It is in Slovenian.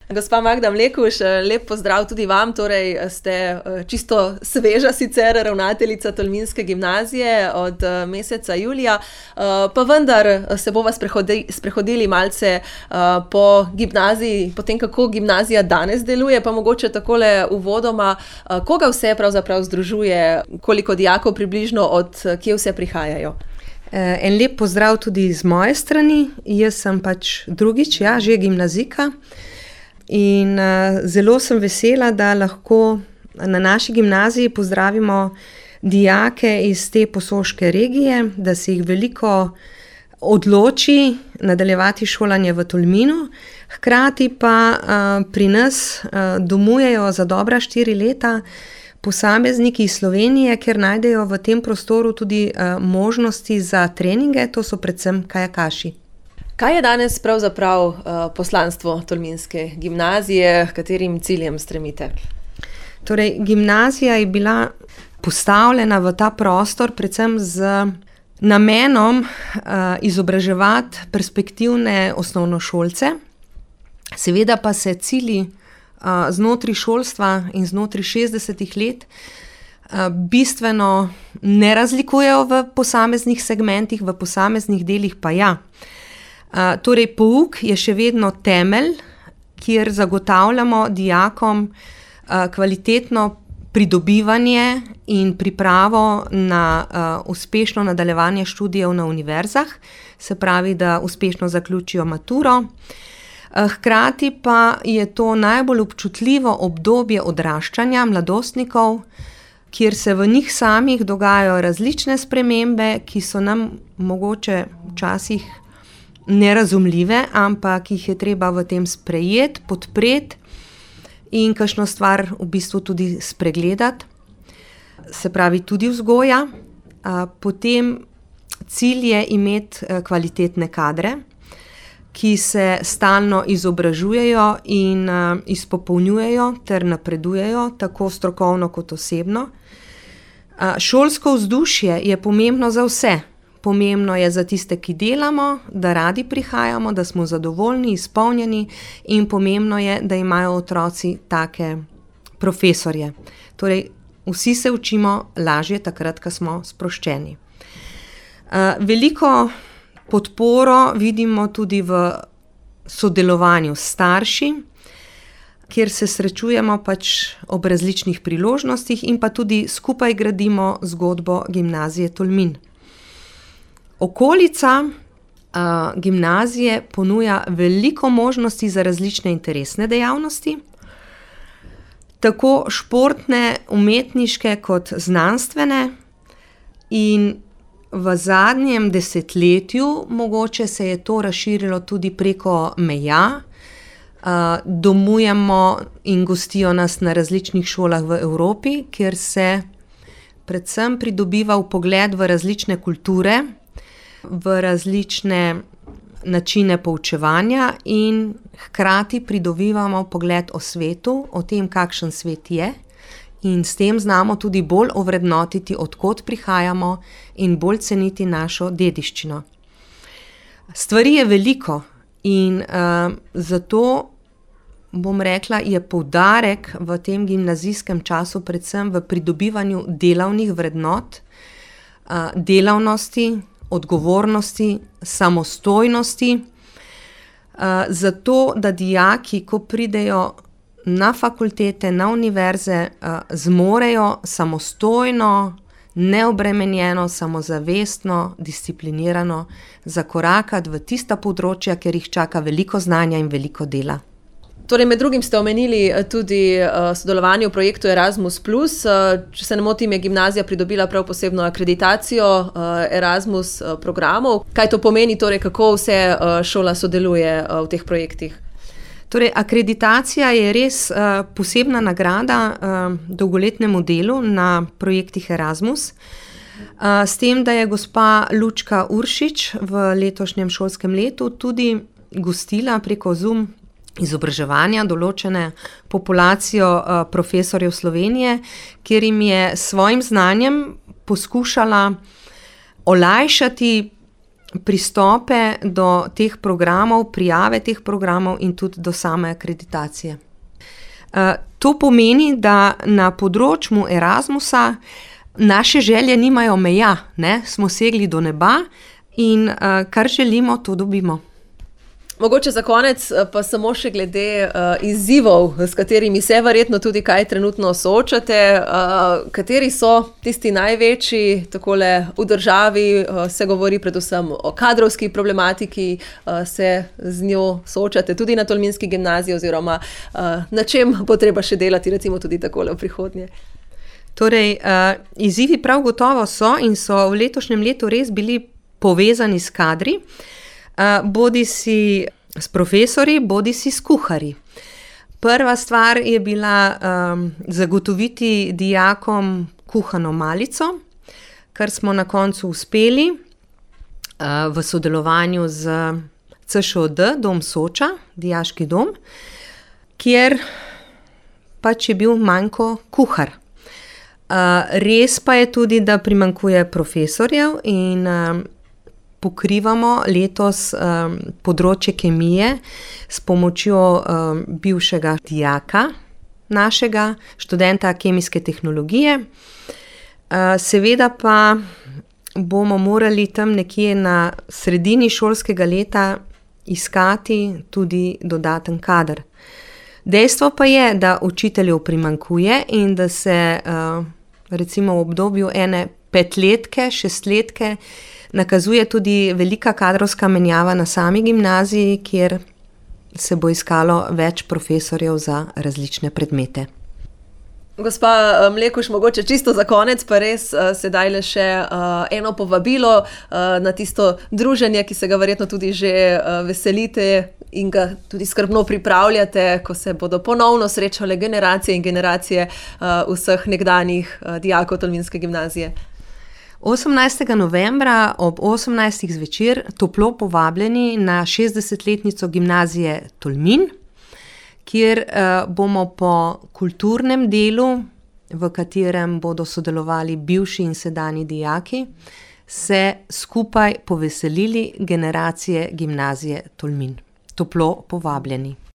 Gospa Magda Mlekuž, lep pozdrav tudi vam, torej ste čisto sveža sicer ravnateljica Tolminske gimnazije od meseca julija, pa vendar se bova sprehodili malce po gimnaziji, po tem, kako gimnazija danes deluje, pa mogoče takole uvodoma, koga vse pravzaprav združuje, koliko dijakov približno, od kje vse prihajajo? En lep pozdrav tudi z moje strani, jaz sem pač drugič, že gimnazijka. In zelo sem vesela, da lahko na naši gimnaziji pozdravimo dijake iz te Posoške regije, da se jih veliko odloči nadaljevati šolanje v Tolminu. Hkrati pa pri nas domujejo za dobra 4 leta posamezniki iz Slovenije, ker najdejo v tem prostoru tudi možnosti za treninge, to so predvsem kajakaši. Kaj je danes pravzaprav poslanstvo Tolminske gimnazije, katerim ciljem stremite? Torej, gimnazija je bila postavljena v ta prostor predvsem z namenom izobraževati perspektivne osnovnošolce. Seveda pa se cilji znotraj šolstva in znotraj 60 let bistveno ne razlikujejo v posameznih segmentih, v posameznih delih pa ja. Torej, pouk je še vedno temelj, kjer zagotavljamo dijakom kvalitetno pridobivanje in pripravo na uspešno nadaljevanje študijev na univerzah, se pravi, da uspešno zaključijo maturo. Hkrati pa je to najbolj občutljivo obdobje odraščanja mladostnikov, kjer se v njih samih dogajajo različne spremembe, ki so nam mogoče včasih nerazumljive, ampak jih je treba v tem sprejeti, podpreti in kakšno stvar v bistvu tudi spregledati, se pravi tudi vzgoja. Potem cilj je imeti kvalitetne kadre, ki se stalno izobražujejo in izpopolnjujejo ter napredujejo, tako strokovno kot osebno. Šolsko vzdušje je pomembno za vse. Pomembno je za tiste, ki delamo, da radi prihajamo, da smo zadovoljni, izpolnjeni, in pomembno je, da imajo otroci take profesorje. Torej, vsi se učimo lažje takrat, ko smo sproščeni. Veliko podporo vidimo tudi v sodelovanju s starši, kjer se srečujemo pač ob različnih priložnostih in pa tudi skupaj gradimo zgodbo gimnazije Tolmin. Okolica gimnazije ponuja veliko možnosti za različne interesne dejavnosti, tako športne, umetniške kot znanstvene, in v zadnjem desetletju mogoče se je to razširilo tudi preko meja. Domujemo in gostijo nas na različnih šolah v Evropi, kjer se predvsem pridobiva vpogled v različne kulture, v različne načine poučevanja in hkrati pridobivamo pogled o svetu, o tem, kakšen svet je, in s tem znamo tudi bolj ovrednotiti, od kod prihajamo, in bolj ceniti našo dediščino. Stvari je veliko in zato bom rekla, je poudarek v tem gimnazijskem času predvsem v pridobivanju delavnih vrednot, delavnosti, odgovornosti, samostojnosti, zato da dijaki, ko pridejo na fakultete, na univerze, zmorejo samostojno, neobremenjeno, samozavestno, disciplinirano zakorakati v tista področja, kjer jih čaka veliko znanja in veliko dela. Torej, med drugim ste omenili tudi sodelovanje v projektu Erasmus+. Če se ne motim, je gimnazija pridobila prav posebno akreditacijo Erasmus programov. Kaj to pomeni, torej, kako vse šola sodeluje v teh projektih? Torej, akreditacija je res posebna nagrada dolgoletnemu delu na projektih Erasmus. S tem, da je gospa Lučka Uršič v letošnjem šolskem letu tudi gostila preko Zoom izobraževanja določene populacijo profesorjev Slovenije, kjer jim je s svojim znanjem poskušala olajšati pristope do teh programov, prijave teh programov in tudi do same akreditacije. To pomeni, da na področju Erasmusa naše želje nimajo meja, ne? Smo segli do neba in kar želimo, to dobimo. Mogoče za konec pa samo še glede izzivov, s katerimi se verjetno tudi kaj trenutno soočate. Kateri so tisti največji takole v državi? Se govori predvsem o kadrovski problematiki, se z njo soočate tudi na Tolminski gimnaziji oziroma na čem bo treba še delati recimo tudi takole v prihodnje? Torej, izzivi prav gotovo so in so v letošnjem letu res bili povezani s kadri. Bodisi s profesorji, bodisi s kuharji. Prva stvar je bila zagotoviti dijakom kuhano malico, kar smo na koncu uspeli v sodelovanju z CŠOD, Dom Soča, dijaški dom, kjer pač je bil manjko kuhar. Res pa je tudi, da primanjkuje profesorjev in pokrivamo letos področje kemije s pomočjo bivšega dijaka našega, študenta kemijske tehnologije. Seveda pa bomo morali tam nekje na sredini šolskega leta iskati tudi dodaten kader. Dejstvo pa je, da učiteljev primanjkuje in da se recimo v obdobju ene 5-letke, 6-letke nakazuje tudi velika kadrovska menjava na sami gimnaziji, kjer se bo iskalo več profesorjev za različne predmete. Gospa Mlekuž, mogoče čisto za konec pa res sedaj le še eno povabilo na tisto druženje, ki se ga verjetno tudi že veselite in ga tudi skrbno pripravljate, ko se bodo ponovno srečale generacije in generacije vseh nekdanjih dijakov Tolminske gimnazije. 18. novembra ob 18. zvečer toplo povabljeni na 60-letnico gimnazije Tolmin, kjer bomo po kulturnem delu, v katerem bodo sodelovali bivši in sedanji dijaki, se skupaj poveselili generacije gimnazije Tolmin. Toplo povabljeni.